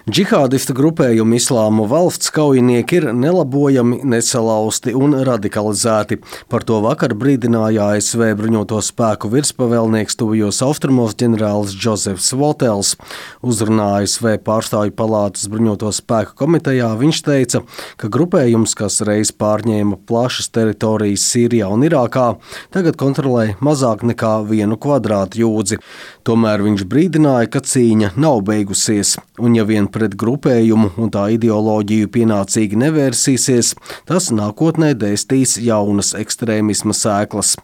Džihādista grupējuma Islāma valsts kaujinieki ir nelabojami, nesalausti un radikalizēti. Par to vakar brīdināja ASV bruņoto spēku virspavēlnieks tuvajos austrumos ģenerālis Džozefs Votels. Uzrunā ASV pārstāvju palātas bruņoto spēku komitejā viņš teica, ka grupējums, kas reiz pārņēma plašas teritorijas Sīrijā un Irākā, tagad kontrolē mazāk nekā 1 kvadrātjūdzi. Tomēr viņš brīdināja, ka cīņa nav beigusies, un ja vien pret grupējumu un tā ideoloģiju pienācīgi nevērsīsies, tas nākotnē dēstīs jaunas ekstrēmisma sēklas.